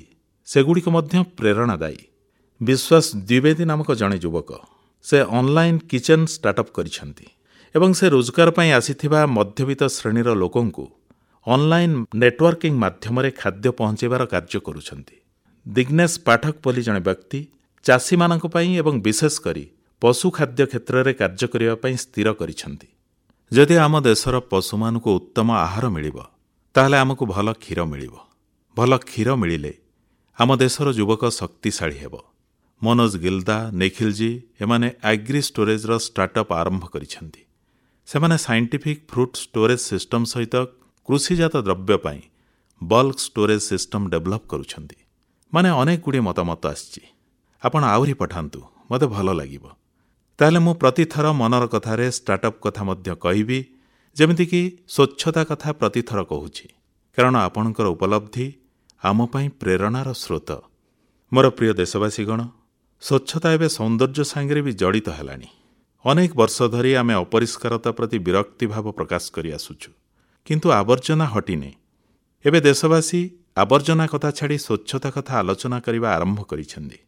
ସେଗୁଡ଼ିକ ମଧ୍ୟ ପ୍ରେରଣାଦାୟୀ। ବିଶ୍ୱାସ ଦ୍ୱିବେଦୀ ନାମକ ଜଣେ ଯୁବକ, ସେ ଅନଲାଇନ୍ କିଚେନ୍ ଷ୍ଟାର୍ଟଅପ୍ କରିଛନ୍ତି ଏବଂ ସେ ରୋଜଗାର ପାଇଁ ଆସିଥିବା ମଧ୍ୟବିତ୍ତ ଶ୍ରେଣୀର ଲୋକଙ୍କୁ ଅନଲାଇନ୍ ନେଟୱାର୍କିଂ ମାଧ୍ୟମରେ ଖାଦ୍ୟ ପହଞ୍ଚାଇବାର କାର୍ଯ୍ୟ କରୁଛନ୍ତି। ଦିଗ୍ନେଶ ପାଠକ ବୋଲି ଜଣେ ବ୍ୟକ୍ତି ଚାଷୀମାନଙ୍କ ପାଇଁ ଏବଂ ବିଶେଷ କରି ପଶୁ ଖାଦ୍ୟ କ୍ଷେତ୍ରରେ କାର୍ଯ୍ୟ କରିବା ପାଇଁ ସ୍ଥିର କରିଛନ୍ତି। ଯଦି ଆମ ଦେଶର ପଶୁମାନଙ୍କୁ ଉତ୍ତମ ଆହାର ମିଳିବ, ତାହେଲେ ଆମକୁ ଭଲ କ୍ଷୀର ମିଳିବ। ଭଲ କ୍ଷୀର ମିଳିଲେ ଆମ ଦେଶର ଯୁବକ ଶକ୍ତିଶାଳୀ ହେବ। ମନୋଜ ଗିଲ୍ଦା, ନିଖିଲଜୀ ଏମାନେ ଆଗ୍ରି ଷ୍ଟୋରେଜର ଷ୍ଟାର୍ଟଅପ୍ ଆରମ୍ଭ କରିଛନ୍ତି। ସେମାନେ ସାଇଣ୍ଟିଫିକ୍ ଫ୍ରୁଟ୍ ଷ୍ଟୋରେଜ୍ ସିଷ୍ଟମ ସହିତ କୃଷିଜାତ ଦ୍ରବ୍ୟ ପାଇଁ ବଲ୍କ ଷ୍ଟୋରେଜ୍ ସିଷ୍ଟମ ଡେଭଲପ୍ କରୁଛନ୍ତି। ମାନେ ଅନେକ ଗୁଡ଼ିଏ ମତାମତ ଆସିଛି। ଆପଣ ଆହୁରି ପଠାନ୍ତୁ, ମୋତେ ଭଲ ଲାଗିବ। ତାହେଲେ ମୁଁ ପ୍ରତିଥର ମନର କଥାରେ ଷ୍ଟାର୍ଟଅପ୍ କଥା ମଧ୍ୟ କହିବି, ଯେମିତିକି ସ୍ୱଚ୍ଛତା କଥା ପ୍ରତିଥର କହୁଛି, କାରଣ ଆପଣଙ୍କର ଉପଲବ୍ଧି ଆମ ପାଇଁ ପ୍ରେରଣାର ସ୍ରୋତ। ମୋର ପ୍ରିୟ ଦେଶବାସୀଗଣ, ସ୍ୱଚ୍ଛତା ଏବେ ସୌନ୍ଦର୍ଯ୍ୟ ସାଙ୍ଗରେ ବି ଜଡ଼ିତ ହେଲାଣି। ଅନେକ ବର୍ଷ ଧରି ଆମେ ଅପରିଷ୍କାରତା ପ୍ରତି ବିରକ୍ତି ଭାବ ପ୍ରକାଶ କରି ଆସୁଛୁ, କିନ୍ତୁ ଆବର୍ଜନା ହଟିନି। ଏବେ ଦେଶବାସୀ ଆବର୍ଜନା କଥା ଛାଡ଼ି ସ୍ୱଚ୍ଛତା କଥା ଆଲୋଚନା କରିବା ଆରମ୍ଭ କରିଛନ୍ତି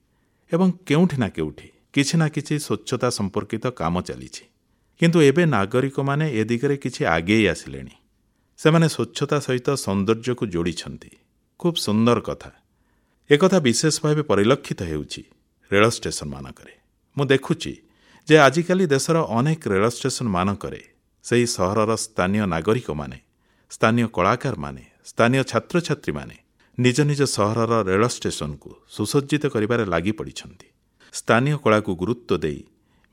ଏବଂ କେଉଁଠି ନା କେଉଁଠି କିଛି ନା କିଛି ସ୍ୱଚ୍ଛତା ସମ୍ପର୍କିତ କାମ ଚାଲିଛି। କିନ୍ତୁ ଏବେ ନାଗରିକମାନେ ଏ ଦିଗରେ କିଛି ଆଗେଇ ଆସିଲେଣି। ସେମାନେ ସ୍ୱଚ୍ଛତା ସହିତ ସୌନ୍ଦର୍ଯ୍ୟକୁ ଯୋଡ଼ିଛନ୍ତି। ଖୁବ୍ ସୁନ୍ଦର କଥା। ଏକଥା ବିଶେଷ ଭାବେ ପରିଲକ୍ଷିତ ହେଉଛି ରେଳ ଷ୍ଟେସନମାନଙ୍କରେ। ମୁଁ ଦେଖୁଛି ଯେ ଆଜିକାଲି ଦେଶର ଅନେକ ରେଳ ଷ୍ଟେସନମାନଙ୍କରେ ସେହି ସହରର ସ୍ଥାନୀୟ ନାଗରିକମାନେ, ସ୍ଥାନୀୟ କଳାକାରମାନେ, ସ୍ଥାନୀୟ ଛାତ୍ରଛାତ୍ରୀମାନେ ନିଜ ନିଜ ସହରର ରେଳ ଷ୍ଟେସନକୁ ସୁସଜ୍ଜିତ କରିବାରେ ଲାଗିପଡ଼ିଛନ୍ତି। ସ୍ଥାନୀୟ କଳାକୁ ଗୁରୁତ୍ୱ ଦେଇ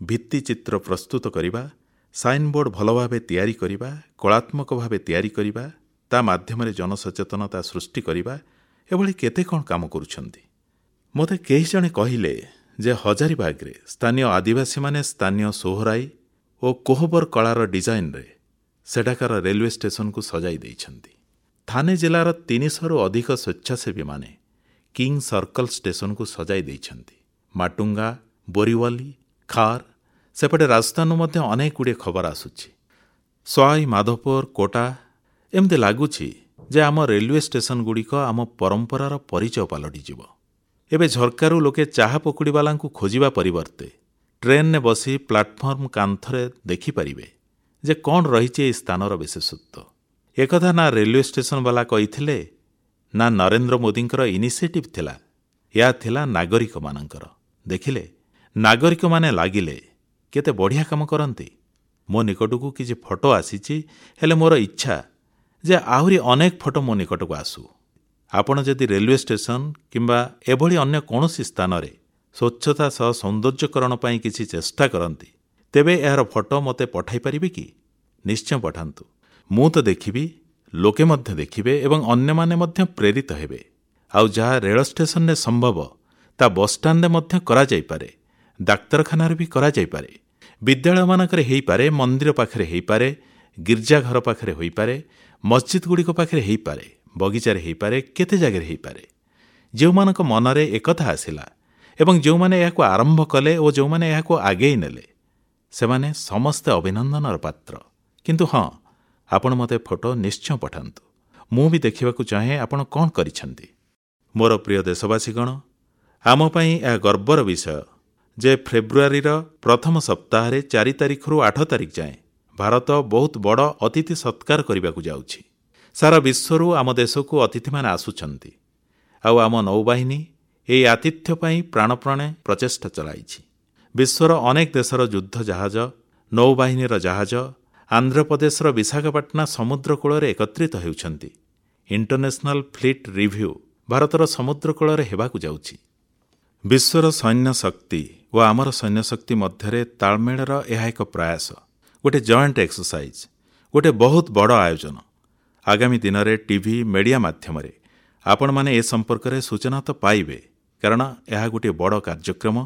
ଭିତ୍ତିଚିତ୍ର ପ୍ରସ୍ତୁତ କରିବା, ସାଇନବୋର୍ଡ ଭଲ ଭାବେ ତିଆରି କରିବା, କଳାତ୍ମକ ଭାବେ ତିଆରି କରିବା, ତା ମାଧ୍ୟମରେ ଜନସଚେତନତା ସୃଷ୍ଟି କରିବା, ଏଭଳି କେତେ କ'ଣ କାମ କରୁଛନ୍ତି। ମୋତେ କେହି ଜଣେ କହିଲେ ଯେ ହଜାରିବାଗରେ ସ୍ଥାନୀୟ ଆଦିବାସୀମାନେ ସ୍ଥାନୀୟ ସୋହରାଇ ଓ କୋହବର କଳାର ଡିଜାଇନରେ ସେଠାକାର ରେଲୱେ ଷ୍ଟେସନକୁ ସଜାଇ ଦେଇଛନ୍ତି। ଥାନେ ଜିଲ୍ଲାର ତିନିଶହରୁ ଅଧିକ ସ୍ୱେଚ୍ଛାସେବୀମାନେ କିଙ୍ଗ ସର୍କଲ ଷ୍ଟେସନକୁ ସଜାଇ ଦେଇଛନ୍ତି। ମାଟୁଙ୍ଗା, ବୋରିୱାଲି, ଖାର, ସେପଟେ ରାଜସ୍ଥାନରୁ ମଧ୍ୟ ଅନେକ ଗୁଡ଼ିଏ ଖବର ଆସୁଛି। ସୱାଇ ମାଧୋପୁର, କୋଟା, ଏମିତି ଲାଗୁଛି ଯେ ଆମ ରେଲୱେ ଷ୍ଟେସନଗୁଡ଼ିକ ଆମ ପରମ୍ପରାର ପରିଚୟ ପାଲଟିଯିବ। ଏବେ ଝରକାରୁ ଲୋକେ ଚାହା ପକୁଡ଼ିବାଲାଙ୍କୁ ଖୋଜିବା ପରିବର୍ତ୍ତେ ଟ୍ରେନରେ ବସି ପ୍ଲାଟଫର୍ମ କାନ୍ଥରେ ଦେଖିପାରିବେ ଯେ କ'ଣ ରହିଛି ଏହି ସ୍ଥାନର ବିଶେଷତ୍ୱ। ଏକଥା ନା ରେଲୱେ ଷ୍ଟେସନବାଲା କହିଥିଲେ, ନା ନରେନ୍ଦ୍ର ମୋଦିଙ୍କର ଇନିସିଏଟିଭ୍ ଥିଲା, ଏହା ଥିଲା ନାଗରିକମାନଙ୍କର। ଦେଖିଲେ, ନାଗରିକମାନେ ଲାଗିଲେ କେତେ ବଢ଼ିଆ କାମ କରନ୍ତି। ମୋ ନିକଟକୁ କିଛି ଫଟୋ ଆସିଛି, ହେଲେ ମୋର ଇଚ୍ଛା ଯେ ଆହୁରି ଅନେକ ଫଟୋ ମୋ ନିକଟକୁ ଆସୁ। ଆପଣ ଯଦି ରେଲୱେ ଷ୍ଟେସନ କିମ୍ବା ଏଭଳି ଅନ୍ୟ କୌଣସି ସ୍ଥାନରେ ସ୍ୱଚ୍ଛତା ସହ ସୌନ୍ଦର୍ଯ୍ୟକରଣ ପାଇଁ କିଛି ଚେଷ୍ଟା କରନ୍ତି, ତେବେ ଏହାର ଫଟୋ ମୋତେ ପଠାଇ ପାରିବେ କି? ନିଶ୍ଚୟ ପଠାନ୍ତୁ। ମୁଁ ତ ଦେଖିବି, ଲୋକେ ମଧ୍ୟ ଦେଖିବେ ଏବଂ ଅନ୍ୟମାନେ ମଧ୍ୟ ପ୍ରେରିତ ହେବେ। ଆଉ ଯାହା ରେଳ ଷ୍ଟେସନରେ ସମ୍ଭବ, ତା ବସ୍ଷ୍ଟାଣ୍ଡରେ ମଧ୍ୟ କରାଯାଇପାରେ, ଡାକ୍ତରଖାନାରେ ବି କରାଯାଇପାରେ, ବିଦ୍ୟାଳୟମାନଙ୍କରେ ହେଇପାରେ, ମନ୍ଦିର ପାଖରେ ହେଇପାରେ, ଗିର୍ଜାଘର ପାଖରେ ହୋଇପାରେ, ମସଜିଦଗୁଡ଼ିକ ପାଖରେ ହେଇପାରେ, ବଗିଚାରେ ହେଇପାରେ, କେତେ ଜାଗାରେ ହେଇପାରେ। ଯେଉଁମାନଙ୍କ ମନରେ ଏକଥା ଆସିଲା ଏବଂ ଯେଉଁମାନେ ଏହାକୁ ଆରମ୍ଭ କଲେ ଓ ଯେଉଁମାନେ ଏହାକୁ ଆଗେଇ ନେଲେ, ସେମାନେ ସମସ୍ତେ ଅଭିନନ୍ଦନର ପାତ୍ର। କିନ୍ତୁ ହଁ, ଆପଣ ମୋତେ ଫଟୋ ନିଶ୍ଚୟ ପଠାନ୍ତୁ। ମୁଁ ବି ଦେଖିବାକୁ ଚାହେଁ ଆପଣ କ'ଣ କରିଛନ୍ତି। ମୋର ପ୍ରିୟ ଦେଶବାସୀଗଣ, ଆମ ପାଇଁ ଏହା ଗର୍ବର ବିଷୟ ଯେ ଫେବୃଆରୀର ପ୍ରଥମ ସପ୍ତାହରେ ଚାରି ତାରିଖରୁ ଆଠ ତାରିଖ ଯାଏଁ ଭାରତ ବହୁତ ବଡ଼ ଅତିଥି ସତ୍କାର କରିବାକୁ ଯାଉଛି। ସାରା ବିଶ୍ୱରୁ ଆମ ଦେଶକୁ ଅତିଥିମାନେ ଆସୁଛନ୍ତି ଆଉ ଆମ ନୌବାହିନୀ ଏହି ଆତିଥ୍ୟ ପାଇଁ ପ୍ରାଣପ୍ରାଣେ ପ୍ରଚେଷ୍ଟା ଚଳାଇଛି। ବିଶ୍ୱର ଅନେକ ଦେଶର ଯୁଦ୍ଧ ଜାହାଜ, ନୌବାହିନୀର ଜାହାଜ ଆନ୍ଧ୍ରପ୍ରଦେଶର ବିଶାଖାପାଟଣା ସମୁଦ୍ର କୂଳରେ ଏକତ୍ରିତ ହେଉଛନ୍ତି। ଇଣ୍ଟରନ୍ୟାସନାଲ ଫ୍ଲିଟ୍ ରିଭ୍ୟୁ ଭାରତର ସମୁଦ୍ର କୂଳରେ ହେବାକୁ ଯାଉଛି। ବିଶ୍ୱର ସୈନ୍ୟ ଶକ୍ତି ଓ ଆମର ସୈନ୍ୟ ଶକ୍ତି ମଧ୍ୟରେ ତାଳମେଳର ଏହା ଏକ ପ୍ରୟାସ, ଗୋଟେ ଜଏଣ୍ଟ ଏକ୍ସରସାଇଜ୍, ଗୋଟେ ବହୁତ ବଡ଼ ଆୟୋଜନ। ଆଗାମୀ ଦିନରେ ଟିଭି, ମିଡିଆ ମାଧ୍ୟମରେ ଆପଣମାନେ ଏ ସମ୍ପର୍କରେ ସୂଚନା ତ ପାଇବେ, କାରଣ ଏହା ଗୋଟିଏ ବଡ଼ କାର୍ଯ୍ୟକ୍ରମ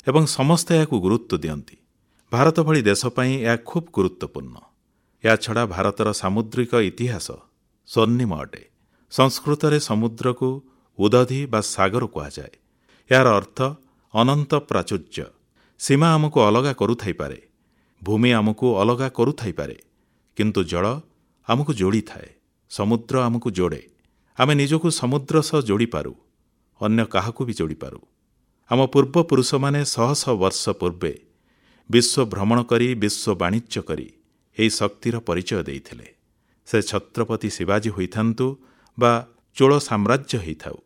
ଏବଂ ସମସ୍ତେ ଏହାକୁ ଗୁରୁତ୍ୱ ଦିଅନ୍ତି। ଭାରତ ଭଳି ଦେଶ ପାଇଁ ଏହା ଖୁବ୍ ଗୁରୁତ୍ୱପୂର୍ଣ୍ଣ। ଏହାଛଡ଼ା ଭାରତର ସାମୁଦ୍ରିକ ଇତିହାସ ସ୍ୱର୍ଣ୍ଣିମ ଅଟେ। ସଂସ୍କୃତରେ ସମୁଦ୍ରକୁ ଉଦଧି ବା ସାଗର କୁହାଯାଏ। ଏହାର ଅର୍ଥ ଅନନ୍ତ ପ୍ରାଚୁର୍ଯ୍ୟ। ସୀମା ଆମକୁ ଅଲଗା କରୁଥାଇପାରେ, ଭୂମି ଆମକୁ ଅଲଗା କରୁଥାଇପାରେ, କିନ୍ତୁ ଜଳ ଆମକୁ ଯୋଡ଼ିଥାଏ। ସମୁଦ୍ର ଆମକୁ ଯୋଡ଼େ। ଆମେ ନିଜକୁ ସମୁଦ୍ର ସହ ଯୋଡ଼ିପାରୁ, ଅନ୍ୟ କାହାକୁ ବି ଯୋଡ଼ିପାରୁ। ଆମ ପୂର୍ବପୁରୁଷମାନେ ଶହ ଶହ ବର୍ଷ ପୂର୍ବେ ବିଶ୍ୱ ଭ୍ରମଣ କରି, ବିଶ୍ୱ ବାଣିଜ୍ୟ କରି ଏହି ଶକ୍ତିର ପରିଚୟ ଦେଇଥିଲେ। ସେ ଛତ୍ରପତି ଶିବାଜୀ ହୋଇଥାନ୍ତୁ ବା ଚୋଳ ସାମ୍ରାଜ୍ୟ ହୋଇଥାଉ,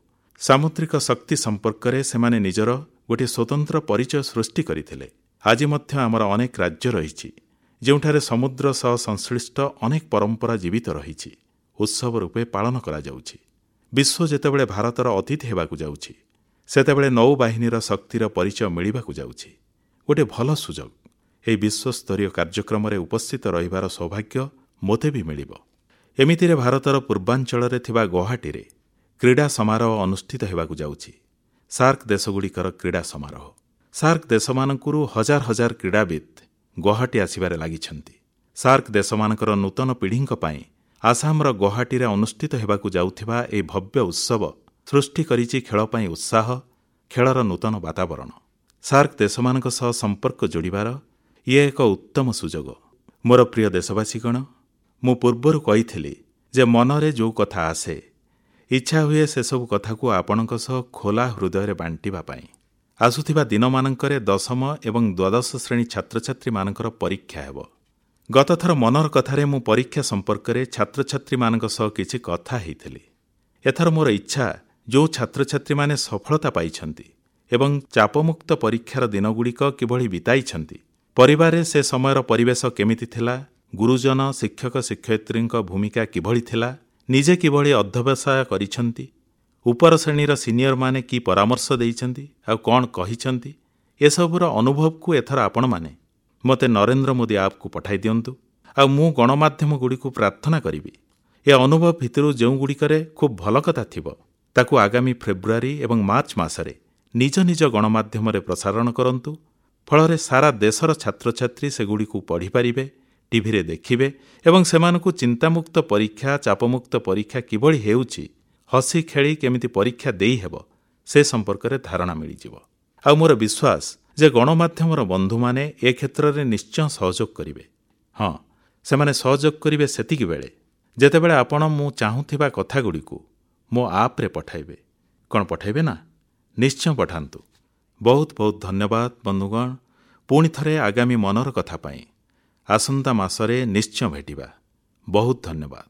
ସାମୁଦ୍ରିକ ଶକ୍ତି ସମ୍ପର୍କରେ ସେମାନେ ନିଜର ଗୋଟିଏ ସ୍ୱତନ୍ତ୍ର ପରିଚୟ ସୃଷ୍ଟି କରିଥିଲେ। ଆଜି ମଧ୍ୟ ଆମର ଅନେକ ରାଜ୍ୟ ରହିଛି ଯେଉଁଠାରେ ସମୁଦ୍ର ସହ ସଂଶ୍ଳିଷ୍ଟ ଅନେକ ପରମ୍ପରା ଜୀବିତ ରହିଛି, ଉତ୍ସବ ରୂପେ ପାଳନ କରାଯାଉଛି। ବିଶ୍ୱ ଯେତେବେଳେ ଭାରତର ଅତିଥି ହେବାକୁ ଯାଉଛି, ସେତେବେଳେ ନୌବାହିନୀର ଶକ୍ତିର ପରିଚୟ ମିଳିବାକୁ ଯାଉଛି। ଗୋଟିଏ ଭଲ ସୁଯୋଗ। ଏହି ବିଶ୍ୱସ୍ତରୀୟ କାର୍ଯ୍ୟକ୍ରମରେ ଉପସ୍ଥିତ ରହିବାର ସୌଭାଗ୍ୟ ମୋତେ ବି ମିଳିବ। ଏମିତିରେ ଭାରତର ପୂର୍ବାଞ୍ଚଳରେ ଥିବା ଗୌହାଟୀରେ କ୍ରୀଡ଼ା ସମାରୋହ ଅନୁଷ୍ଠିତ ହେବାକୁ ଯାଉଛି। ସାର୍କ ଦେଶଗୁଡ଼ିକର କ୍ରୀଡ଼ା ସମାରୋହ। ସାର୍କ ଦେଶମାନଙ୍କରୁ ହଜାର ହଜାର କ୍ରୀଡ଼ାବିତ୍ ଗୌହାଟୀ ଆସିବାରେ ଲାଗିଛନ୍ତି। ସାର୍କ ଦେଶମାନଙ୍କର ନୂତନ ପିଢ଼ିଙ୍କ ପାଇଁ ଆସାମର ଗୌହାଟୀରେ ଅନୁଷ୍ଠିତ ହେବାକୁ ଯାଉଥିବା ଏହି ଭବ୍ୟ ଉତ୍ସବ ସୃଷ୍ଟି କରିଛି ଖେଳ ପାଇଁ ଉତ୍ସାହ, ଖେଳର ନୂତନ ବାତାବରଣ। ସାର୍କ ଦେଶମାନଙ୍କ ସହ ସମ୍ପର୍କ ଯୋଡ଼ିବାର ଇଏ ଏକ ଉତ୍ତମ ସୁଯୋଗ। ମୋର ପ୍ରିୟ ଦେଶବାସୀଗଣ, ମୁଁ ପୂର୍ବରୁ କହିଥିଲି ଯେ ମନରେ ଯେଉଁ କଥା ଆସେ, ଇଚ୍ଛା ହୁଏ ସେସବୁ କଥାକୁ ଆପଣଙ୍କ ସହ ଖୋଲା ହୃଦୟରେ ବାଣ୍ଟିବା ପାଇଁ। ଆସୁଥିବା ଦିନମାନଙ୍କରେ ଦଶମ ଏବଂ ଦ୍ୱାଦଶ ଶ୍ରେଣୀ ଛାତ୍ରଛାତ୍ରୀମାନଙ୍କର ପରୀକ୍ଷା ହେବ। ଗତଥର ମନର କଥାରେ ମୁଁ ପରୀକ୍ଷା ସମ୍ପର୍କରେ ଛାତ୍ରଛାତ୍ରୀମାନଙ୍କ ସହ କିଛି କଥା ହେଇଥିଲି। ଏଥର ମୋର ଇଚ୍ଛା ଯେଉଁ ଛାତ୍ରଛାତ୍ରୀମାନେ ସଫଳତା ପାଇଛନ୍ତି ଏବଂ ଚାପମୁକ୍ତ ପରୀକ୍ଷାର ଦିନଗୁଡ଼ିକ କିଭଳି ବିତାଇଛନ୍ତି, ପରିବାରରେ ସେ ସମୟର ପରିବେଶ କେମିତି ଥିଲା, ଗୁରୁଜନ, ଶିକ୍ଷକ ଶିକ୍ଷୟିତ୍ରୀଙ୍କ ଭୂମିକା କିଭଳି ଥିଲା, ନିଜେ କିଭଳି ଅଧ୍ୟବସାୟ କରିଛନ୍ତି, ଉପର ଶ୍ରେଣୀର ସିନିୟରମାନେ କି ପରାମର୍ଶ ଦେଇଛନ୍ତି ଆଉ କ'ଣ କହିଛନ୍ତି, ଏସବୁର ଅନୁଭବକୁ ଏଥର ଆପଣମାନେ ମୋତେ ନରେନ୍ଦ୍ର ମୋଦି ଆପ୍କୁ ପଠାଇ ଦିଅନ୍ତୁ। ଆଉ ମୁଁ ଗଣମାଧ୍ୟମଗୁଡ଼ିକୁ ପ୍ରାର୍ଥନା କରିବି, ଏ ଅନୁଭବ ଭିତରୁ ଯେଉଁଗୁଡ଼ିକରେ ଖୁବ୍ ଭଲ କଥା ଥିବ, ତାକୁ ଆଗାମୀ ଫେବୃଆରୀ ଏବଂ ମାର୍ଚ୍ଚ ମାସରେ ନିଜ ନିଜ ଗଣମାଧ୍ୟମରେ ପ୍ରସାରଣ କରନ୍ତୁ। ଫଳରେ ସାରା ଦେଶର ଛାତ୍ରଛାତ୍ରୀ ସେଗୁଡ଼ିକୁ ପଢ଼ିପାରିବେ, ଟିଭିରେ ଦେଖିବେ ଏବଂ ସେମାନଙ୍କୁ ଚିନ୍ତାମୁକ୍ତ ପରୀକ୍ଷା, ଚାପମୁକ୍ତ ପରୀକ୍ଷା କିଭଳି ହେଉଛି, ହସି ଖେଳି କେମିତି ପରୀକ୍ଷା ଦେଇହେବ, ସେ ସମ୍ପର୍କରେ ଧାରଣା ମିଳିଯିବ। ଆଉ ମୋର ବିଶ୍ୱାସ ଯେ ଗଣମାଧ୍ୟମର ବନ୍ଧୁମାନେ ଏ କ୍ଷେତ୍ରରେ ନିଶ୍ଚୟ ସହଯୋଗ କରିବେ। ହଁ, ସେମାନେ ସହଯୋଗ କରିବେ ସେତିକି ବେଳେ ଯେତେବେଳେ ଆପଣ ମୁଁ ଚାହୁଁଥିବା କଥାଗୁଡ଼ିକୁ ମୋ ଆପ୍ରେ ପଠାଇବେ। କ'ଣ ପଠାଇବେ ନା? ନିଶ୍ଚୟ ପଠାନ୍ତୁ। ବହୁତ ବହୁତ ଧନ୍ୟବାଦ ବନ୍ଧୁଗଣ। ପୁଣି ଥରେ ଆଗାମୀ ମନର କଥା ପାଇଁ ଆସନ୍ତା ମାସରେ ନିଶ୍ଚୟ ଭେଟିବା। ବହୁତ ଧନ୍ୟବାଦ।